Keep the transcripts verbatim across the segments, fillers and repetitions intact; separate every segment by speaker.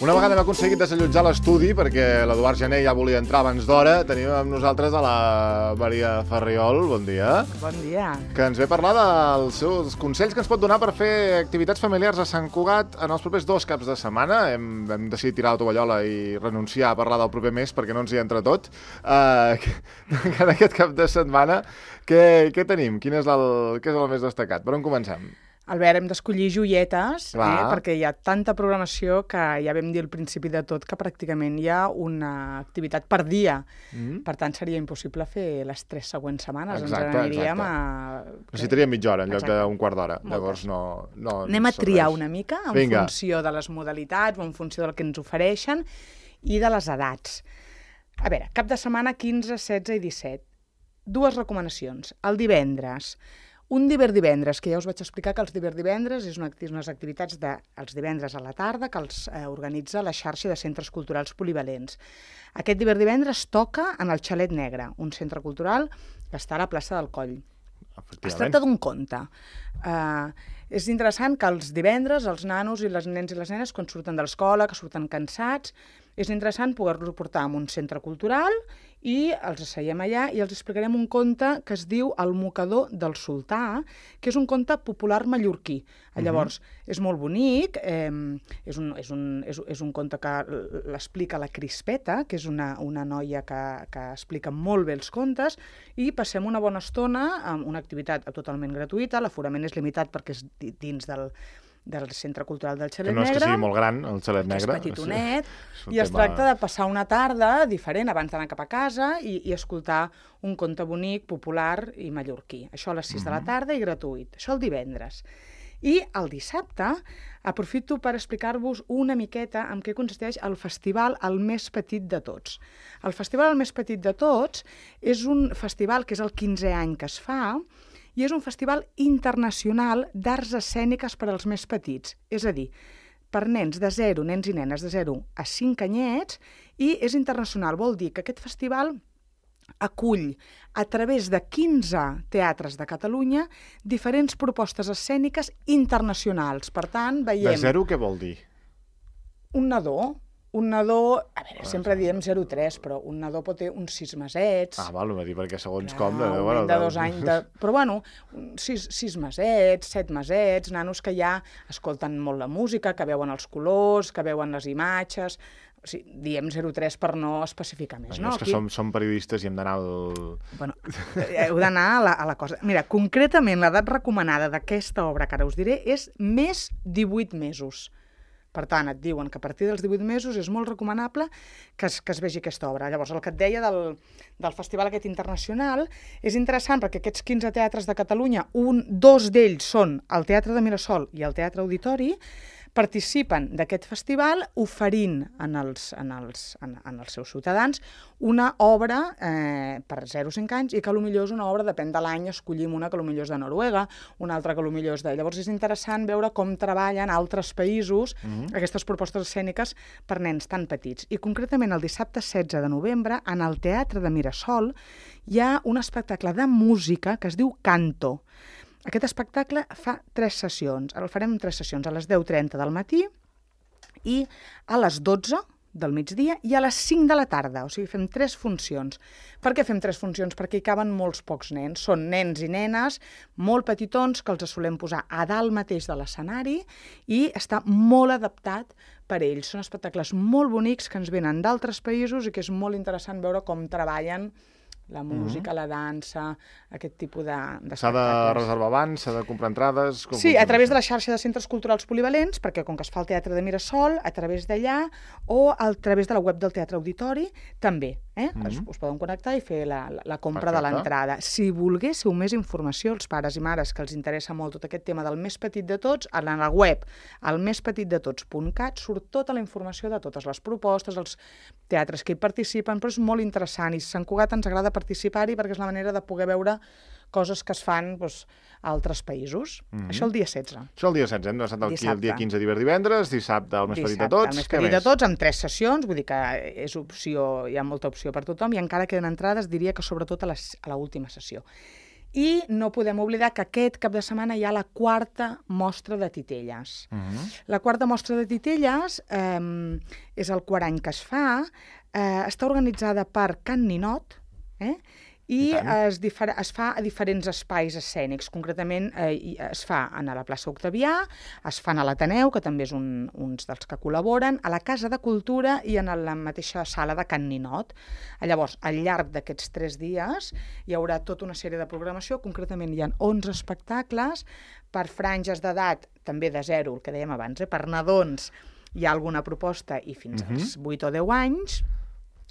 Speaker 1: Una vegada hem aconseguit desallotjar l'estudi, perquè l'Eduard Gené ja volia entrar abans d'hora, tenim amb nosaltres a la Maria Ferriol. Bon dia.
Speaker 2: Bon dia.
Speaker 1: Que ens ve a parlar dels seus consells que ens pot donar per fer activitats familiars a Sant Cugat en els propers dos caps de setmana. Hem, hem decidit tirar la tovallola i renunciar a parlar del proper mes perquè no ens hi entra tot. Uh, en aquest cap de setmana, què, què tenim? Quin és el, què és el més destacat? Per on comencem?
Speaker 2: Albert, hem d'escollir joietes, eh,
Speaker 1: Clar.
Speaker 2: perquè hi ha tanta programació que ja vam dir al principi de tot que pràcticament hi ha una activitat per dia.
Speaker 1: Mm.
Speaker 2: Per tant, seria impossible fer les tres següents setmanes.
Speaker 1: Exacte,
Speaker 2: Ens n'aniríem
Speaker 1: exacte.
Speaker 2: a...
Speaker 1: Necessitaríem mitja hora en lloc
Speaker 2: Exacte.
Speaker 1: d'un quart d'hora.
Speaker 2: Moltes.
Speaker 1: Llavors no, no
Speaker 2: Anem a
Speaker 1: ens
Speaker 2: triar
Speaker 1: serveix.
Speaker 2: una mica en
Speaker 1: Vinga.
Speaker 2: funció de les modalitats o en funció del que ens ofereixen i de les edats. A veure, cap de setmana quinze, setze i disset. Dues recomanacions. El divendres. Un divendres, que ja us vaig explicar que els divendres és una, unes activitats de, els divendres a la tarda que els eh, organitza la xarxa de centres culturals polivalents. Aquest divendres toca en el Xalet Negre, un centre cultural que està a la plaça del Coll. Es tracta d'un conte. Uh, és interessant que els divendres els nanos i les nens i les nenes, quan surten de l'escola, que surten cansats, és interessant poder-los portar a un centre cultural i els asseiem allà i els explicarem un conte que es diu El mocador del sultà, que és un conte popular mallorquí. Uh-huh. Llavors, és molt bonic, eh, és, un, és, un, és, és un conte que l'explica la Crispeta, que és una, una noia que, que explica molt bé els contes, i passem una bona estona amb una activitat totalment gratuïta. L'aforament és limitat perquè és dins del... del Centre Cultural del Xalet Negre.
Speaker 1: Que no és que sigui molt gran, el Xalet Negre.
Speaker 2: És petitonet,
Speaker 1: sí.
Speaker 2: i es tema... tracta de passar una tarda diferent abans d'anar cap a casa i, i escoltar un conte bonic, popular i mallorquí. Això a les sis mm-hmm. de la tarda i gratuït. Això el divendres. I el dissabte aprofito per explicar-vos una miqueta en què consisteix el festival El Més Petit de Tots. El festival El Més Petit de Tots és un festival que és el quinzè any que es fa, i és un festival internacional d'arts escèniques per als més petits. És a dir, per nens de zero, nens i nenes de zero a cinc anyets, i és internacional. Vol dir que aquest festival acull, a través de quinze teatres de Catalunya, diferents propostes escèniques internacionals. Per tant, veiem...
Speaker 1: De zero què vol dir?
Speaker 2: Un nadó. Un nadó, a veure, sempre diem zero tres, però un nadó pot tenir uns sis mesets.
Speaker 1: Ah, val, dir, perquè segons
Speaker 2: Clar,
Speaker 1: com...
Speaker 2: Un
Speaker 1: bueno,
Speaker 2: nen de dos anys... De... Però bueno, sis, sis mesets, set mesets, nanos que ja escolten molt la música, que veuen els colors, que veuen les imatges... O sigui, diem zero tres per no especificar més,
Speaker 1: no?
Speaker 2: no?
Speaker 1: És que
Speaker 2: Aquí...
Speaker 1: som, som periodistes i hem d'anar al...
Speaker 2: Bueno, heu d'anar a, la, a la cosa... Mira, concretament l'edat recomanada d'aquesta obra que ara us diré és més divuit mesos. Per tant, et diuen que a partir dels divuit mesos és molt recomanable que es, que es vegi aquesta obra. Llavors, el que et deia del, del festival aquest internacional és interessant perquè aquests quinze teatres de Catalunya, un, dos d'ells són el Teatre de Mirasol i el Teatre Auditori, participen d'aquest festival oferint en els, en els, en, en els seus ciutadans una obra eh, per zero a cinc anys i que potser és una obra, depèn de l'any, escollim una que potser és de Noruega, una altra que potser és de... Llavors és interessant veure com treballen altres països mm-hmm. aquestes propostes escèniques per nens tan petits. I concretament el dissabte setze de novembre, en el Teatre de Mirasol, hi ha un espectacle de música que es diu Canto. Aquest espectacle fa tres sessions. Ara el farem en tres sessions, a les deu trenta del matí i a les dotze del migdia i a les cinc de la tarda. O sigui, fem tres funcions. Per què fem tres funcions? Perquè hi caben molts pocs nens. Són nens i nenes molt petitons que els solem posar a dalt mateix de l'escenari i està molt adaptat per ells. Són espectacles molt bonics que ens venen d'altres països i que és molt interessant veure com treballen la música, mm-hmm. la dansa, aquest tipus de, d'espectacles.
Speaker 1: S'ha de reservar abans, s'ha de comprar entrades... Com
Speaker 2: sí, a través de la xarxa de centres culturals polivalents, perquè com que es fa el Teatre de Mirasol, a través d'allà, o a través de la web del Teatre Auditori, també. Eh? Mm-hmm. us, us poden connectar i fer la, la, la compra Perfecte. De l'entrada. Si volguéssiu més informació, els pares i mares que els interessa molt tot aquest tema del més petit de tots, a la web el més petit de tots punt cat surt tota la informació de totes les propostes, els teatres que hi participen, però és molt interessant i Sant Cugat ens agrada participar-hi perquè és la manera de poder veure coses que es fan doncs, a altres països. Mm-hmm. Això el dia setze.
Speaker 1: Això el dia setze, hem estat aquí el dia quinze divendres, dissabte el més petit de tots.
Speaker 2: El més petit de tots, amb tres sessions, vull dir que és opció, hi ha molta opció per tothom i encara queden entrades, diria que sobretot a l'última sessió. I no podem oblidar que aquest cap de setmana hi ha la quarta mostra de titelles.
Speaker 1: Uh-huh.
Speaker 2: La quarta mostra de titelles eh, és el quart any que es fa, eh, està organitzada per Can Ninot, eh? I, I es, es fa a diferents espais escènics. Concretament, eh, es fa a la plaça Octavià, es fan a l'Ateneu, que també és un, uns dels que col·laboren, a la Casa de Cultura i en la mateixa sala de Can Ninot. Llavors, al llarg d'aquests tres dies hi haurà tota una sèrie de programació. Concretament, hi ha onze espectacles per franges d'edat, també de zero, el que dèiem abans, eh? Per nadons hi ha alguna proposta i fins uh-huh. als vuit o deu anys,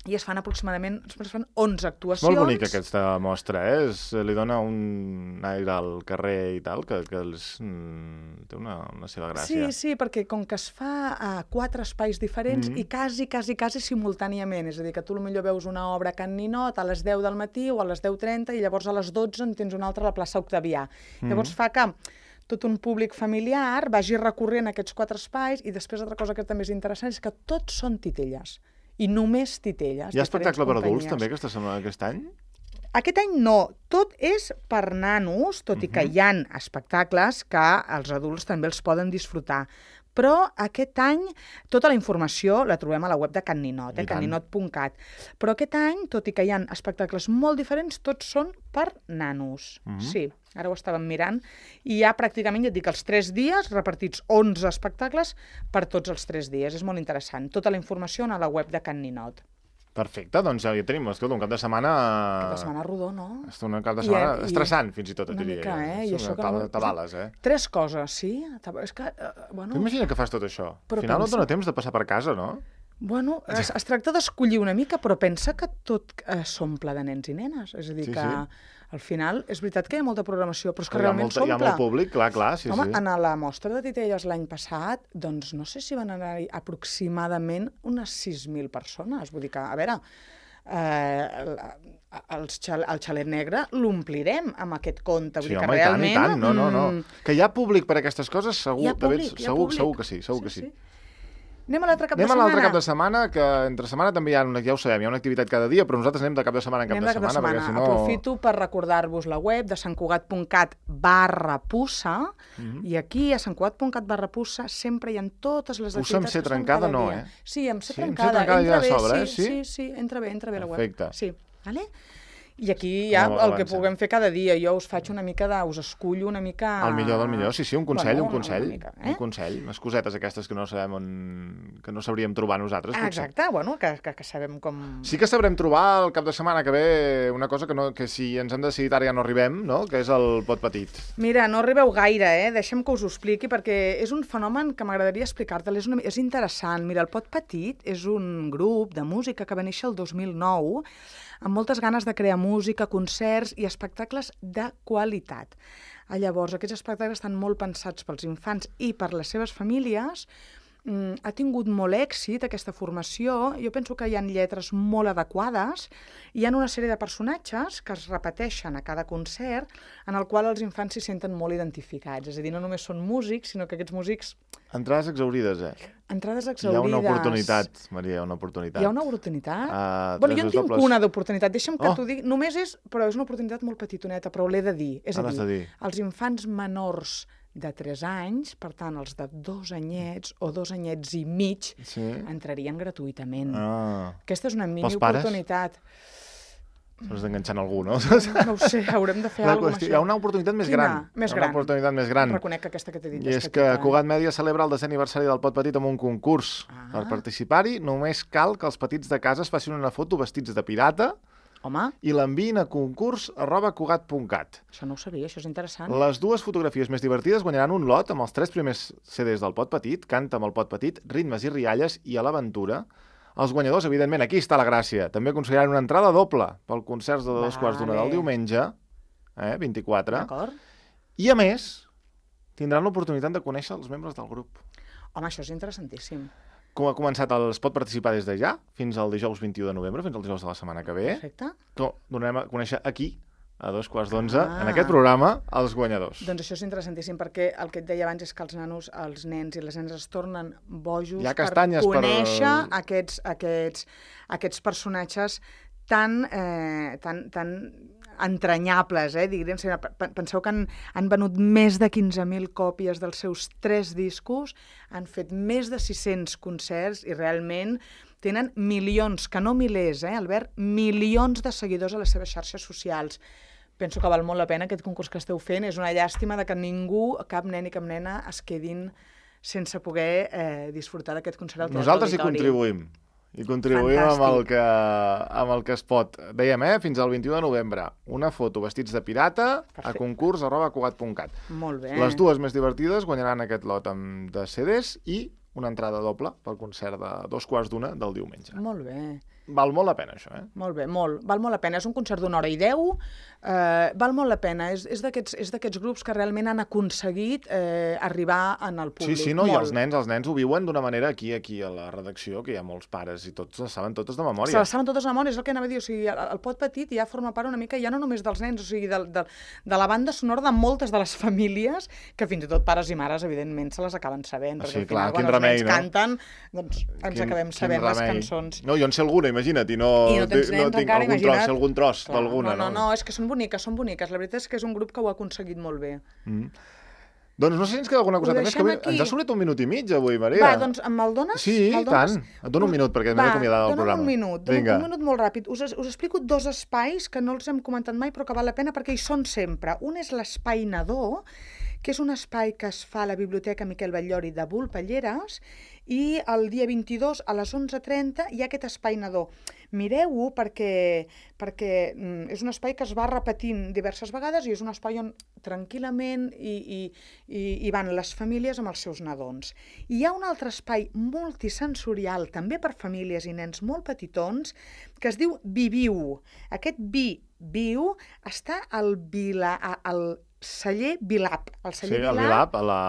Speaker 2: i es fan aproximadament es fan onze actuacions.
Speaker 1: Molt bonica aquesta mostra, eh? Es, li dona un aire al carrer i tal, que, que és, mm, té una, una seva gràcia.
Speaker 2: Sí, sí, perquè com que es fa a quatre espais diferents mm-hmm. i quasi, quasi, quasi simultàniament, és a dir, que tu potser veus una obra a Can Ninot a les deu del matí o a les deu trenta i llavors a les dotze en tens una altra a la plaça Octavià. Mm-hmm. Llavors fa que tot un públic familiar vagi recorrent aquests quatre espais i després altra cosa que també és interessant és que tots són titelles. I només titelles.
Speaker 1: Hi ha espectacle per adults també aquesta setmana, aquest any?
Speaker 2: Aquest any no. Tot és per nanos, tot uh-huh. i que hi ha espectacles que els adults també els poden disfrutar. Però aquest any tota la informació la trobem a la web de Can Ninot, eh, can ninot punt cat. Però aquest any, tot i que hi ha espectacles molt diferents, tots són per nanos. Uh-huh. Sí, ara ho estàvem mirant. I hi ha pràcticament, ja et dic, els tres dies, repartits onze espectacles per tots els tres dies. És molt interessant. Tota la informació a la web de Can Ninot.
Speaker 1: Perfecte, doncs ja hi tenim, escolta, un cap de setmana...
Speaker 2: Cap de setmana rodó, no?
Speaker 1: Un cap de setmana I, estressant, i, fins i tot, et diria.
Speaker 2: Una mica, eh? I això que
Speaker 1: no... Tabales, eh?
Speaker 2: Tres coses, sí? És que, uh, bueno...
Speaker 1: T'imagina que fas tot això? Al final no et dona temps de passar per casa, no?
Speaker 2: Bueno, es, es tracta d'escollir una mica, però pensa que tot eh, s'omple de nens i nenes. És a dir, sí, que sí. Al final és veritat que hi ha molta programació, però és que, que realment s'omple.
Speaker 1: Hi ha molt públic, clar, clar, sí,
Speaker 2: Home,
Speaker 1: sí.
Speaker 2: En la mostra de titelles l'any passat, doncs no sé si van anar-hi aproximadament unes sis mil persones. Vull dir que, a veure... Eh, el, xal, el xalet negre l'omplirem amb aquest conte. Vull
Speaker 1: sí,
Speaker 2: dir que
Speaker 1: home,
Speaker 2: realment...
Speaker 1: i tant, i tant. No, no, no. Que hi ha públic per a aquestes coses, segur,
Speaker 2: hi ha públic,
Speaker 1: segur,
Speaker 2: hi ha públic.
Speaker 1: segur que sí, segur sí, que sí. sí.
Speaker 2: Anem a l'altre cap
Speaker 1: anem
Speaker 2: de setmana.
Speaker 1: Anem a l'altre cap de setmana, que entre setmana també hi ha, una, ja ho sabem, hi ha una activitat cada dia, però nosaltres anem de cap de setmana en cap,
Speaker 2: anem
Speaker 1: de, de,
Speaker 2: cap
Speaker 1: setmana,
Speaker 2: de setmana.
Speaker 1: perquè si no...
Speaker 2: Aprofito per recordar-vos la web de santcugat.cat barra pussa, mm-hmm. i aquí a santcugat.cat barra pussa sempre hi ha totes les
Speaker 1: pussa
Speaker 2: activitats
Speaker 1: que són trencada,
Speaker 2: cada
Speaker 1: no,
Speaker 2: dia.
Speaker 1: Eh?
Speaker 2: Sí, amb ser
Speaker 1: sí,
Speaker 2: trencada.
Speaker 1: trencada
Speaker 2: entra
Speaker 1: ja
Speaker 2: bé,
Speaker 1: sobre,
Speaker 2: sí,
Speaker 1: eh? Sí?
Speaker 2: sí, sí, entra bé, entra bé la web.
Speaker 1: Perfecte.
Speaker 2: Sí, vale? I aquí ja el que puguem fer cada dia. Jo us faig una mica de... us escullo una mica...
Speaker 1: El millor del millor, sí, sí, un consell,
Speaker 2: bueno,
Speaker 1: un consell.
Speaker 2: mica, eh?
Speaker 1: Un consell, unes cosetes aquestes que no sabem on... que no sabríem trobar nosaltres.
Speaker 2: Ah, exacte, bueno, que, que, que sabem com...
Speaker 1: Sí que sabrem trobar el cap de setmana que ve una cosa que, no, que si ens hem decidit ara ja no arribem, no? Que és el pot petit.
Speaker 2: Mira, no arribeu gaire, eh? Deixem que us ho expliqui, perquè és un fenomen que m'agradaria explicar-te'l. És, una... és interessant. Mira, el pot petit és un grup de música que va néixer el dos mil nou amb moltes ganes de crear música, concerts i espectacles de qualitat. Llavors, aquests espectacles estan molt pensats pels infants i per les seves famílies. Mm, ha tingut molt èxit aquesta formació. Jo penso que hi ha lletres molt adequades. Hi ha una sèrie de personatges que es repeteixen a cada concert en el qual els infants s'hi senten molt identificats. És a dir, no només són músics, sinó que aquests músics...
Speaker 1: Entrades exaurides, eh?
Speaker 2: Entrades exaurides.
Speaker 1: Hi ha una oportunitat, Maria, una oportunitat.
Speaker 2: Hi ha una oportunitat?
Speaker 1: Uh,
Speaker 2: bueno, jo en tinc
Speaker 1: dobles...
Speaker 2: una d'oportunitat. Deixa'm que
Speaker 1: oh.
Speaker 2: t'ho digui. Només és... Però és una oportunitat molt petitoneta, però l'he de dir. És a dir,
Speaker 1: dir,
Speaker 2: els infants menors de tres anys, per tant, els de dos anyets o dos anyets i mig, sí. entrarien gratuïtament.
Speaker 1: Ah.
Speaker 2: Aquesta és una mini oportunitat.
Speaker 1: S'has d'enganxar algú, no?
Speaker 2: No ho sé, haurem de fer alguna cosa.
Speaker 1: Hi ha una oportunitat més
Speaker 2: Quina?
Speaker 1: gran.
Speaker 2: Més gran.
Speaker 1: Una oportunitat més gran.
Speaker 2: Reconec que aquesta que t'he dit
Speaker 1: I és, és que Cugat Mèdia celebra el desè aniversari del Pot Petit amb un concurs. Ah. Per participar-hi només cal que els petits de casa es facin una foto vestits de pirata.
Speaker 2: Home.
Speaker 1: I l'enviïn a concurs arroba cugat punt cat.
Speaker 2: Això no ho sabia, això és interessant.
Speaker 1: Les dues fotografies més divertides guanyaran un lot amb els tres primers C Ds del Pot Petit, Canta amb el Pot Petit, Ritmes i rialles i A l'aventura. Els guanyadors, evidentment, aquí està la gràcia. També aconseguiran una entrada doble pel concert de dos vale. quarts d'una del diumenge, eh, vint-i-quatre.
Speaker 2: D'acord.
Speaker 1: I, a més, tindran l'oportunitat de conèixer els membres del grup.
Speaker 2: Home, això és interessantíssim.
Speaker 1: Com ha començat, es pot participar des de ja, fins al dijous vint-i-u de novembre, fins al dijous de la setmana que ve.
Speaker 2: Perfecte.
Speaker 1: Com donarem a conèixer aquí, a dos quarts d'onze, ah. en aquest programa, els guanyadors.
Speaker 2: Doncs això és interessantíssim, perquè el que et deia abans és que els nanos, els nens i les nenes es tornen bojos per conèixer per... aquests, aquests, aquests personatges tan, eh, tan, tan entranyables, eh? Diguem, penseu que han, han venut més de quinze mil còpies dels seus tres discos, han fet més de sis-cents concerts i realment tenen milions, que no milers, eh, Albert, milions de seguidors a les seves xarxes socials. Penso que val molt la pena aquest concurs que esteu fent. És una llàstima de que ningú, cap nen i cap nena, es quedin sense poder eh, disfrutar d'aquest concert al Teatre
Speaker 1: Nosaltres hi
Speaker 2: Auditori.
Speaker 1: contribuïm. I contribuïm amb el, que, amb el que es pot. Dèiem, eh? Fins al vint-i-u de novembre. Una foto vestits de pirata Perfecte. a concurs arroba cugat punt cat.
Speaker 2: Molt bé.
Speaker 1: Les dues més divertides guanyaran aquest lot amb de C Ds i una entrada doble pel concert de dos quarts d'una del diumenge.
Speaker 2: Molt bé.
Speaker 1: Val molt la pena, això, eh?
Speaker 2: Molt bé, molt. Val molt la pena. És un concert d'una hora i deu. Eh, val molt la pena. És, és d'aquests grups que realment han aconseguit eh, arribar en el públic.
Speaker 1: Sí, sí, no?
Speaker 2: Molt.
Speaker 1: I els nens, els nens ho viuen d'una manera aquí, aquí a la redacció, que hi ha molts pares i tots les saben totes de memòria.
Speaker 2: Se les saben totes de memòria, és el que anava a dir. O sigui, el, el pot petit ja forma part una mica, ja no només dels nens, o sigui, de, de, de la banda sonora de moltes de les famílies, que fins i tot pares i mares, evidentment, se les acaben sabent.
Speaker 1: Sí,
Speaker 2: perquè
Speaker 1: clar,
Speaker 2: al final,
Speaker 1: quin
Speaker 2: quan
Speaker 1: remei,
Speaker 2: els nens
Speaker 1: no?
Speaker 2: canten, doncs ens
Speaker 1: Quin,
Speaker 2: acabem sabent les cançons.
Speaker 1: No, jo en sé alguna, imagina't, i no,
Speaker 2: I no tens nens
Speaker 1: no tinc
Speaker 2: encara,
Speaker 1: algun
Speaker 2: imagina't.
Speaker 1: tros, algun tros d'alguna,
Speaker 2: no? No, no, és que són boniques, són boniques. La veritat és que és un grup que ho ha aconseguit molt bé.
Speaker 1: Mm. Doncs no sé si ens queda alguna coseta més, que avui, ens ha sobrat un minut i mig avui, Maria.
Speaker 2: Va, doncs me'l dones?
Speaker 1: Sí, i tant. Et dono un minut, perquè m'he d'acomiadar del programa.
Speaker 2: Va, un minut,
Speaker 1: Vinga.
Speaker 2: un minut molt ràpid. Us, us explico dos espais que no els hem comentat mai, però que val la pena perquè hi són sempre. Un és l'espai nadó, que és un espai que es fa a la Biblioteca Miquel Batllori de Volpelleres, i el dia vint-i-dos a les onze trenta hi ha aquest espai nadó. Mireu-ho perquè, perquè és un espai que es va repetint diverses vegades i és un espai on tranquil·lament i, i, i, i van les famílies amb els seus nadons. I hi ha un altre espai multisensorial, també per famílies i nens molt petitons, que es diu Viviu. Aquest Vi, Viu, està al Vila... al celler Vilap. El celler
Speaker 1: sí, el Vilap, a la...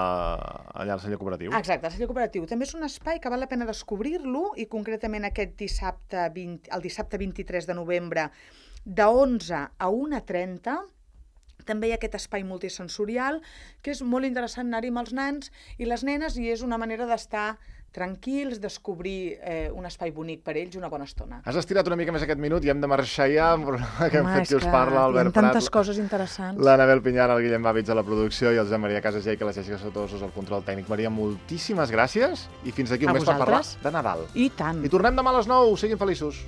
Speaker 1: allà al celler cooperatiu.
Speaker 2: Exacte, el celler cooperatiu. També és un espai que val la pena descobrir-lo i concretament aquest dissabte, vint, el dissabte vint-i-tres de novembre de onze a una trenta també hi ha aquest espai multisensorial que és molt interessant anar-hi amb els nans i les nenes i és una manera d'estar tranquils, descobrir eh, un espai bonic per ells una bona estona.
Speaker 1: Has estirat una mica més aquest minut i hem de marxar ja, que hem
Speaker 2: Home,
Speaker 1: fet qui us parla, Albert Prat.
Speaker 2: Hi ha tantes coses interessants.
Speaker 1: L'Anabel Pinyar, el Guillem Bàvits a la producció i el Josep Maria Casagé, que la Jessica Sotosos al control tècnic. Maria, moltíssimes gràcies i fins d'aquí un
Speaker 2: a
Speaker 1: mes
Speaker 2: vosaltres.
Speaker 1: per parlar de Nadal.
Speaker 2: I tant.
Speaker 1: I tornem demà a les nou. Siguin feliços.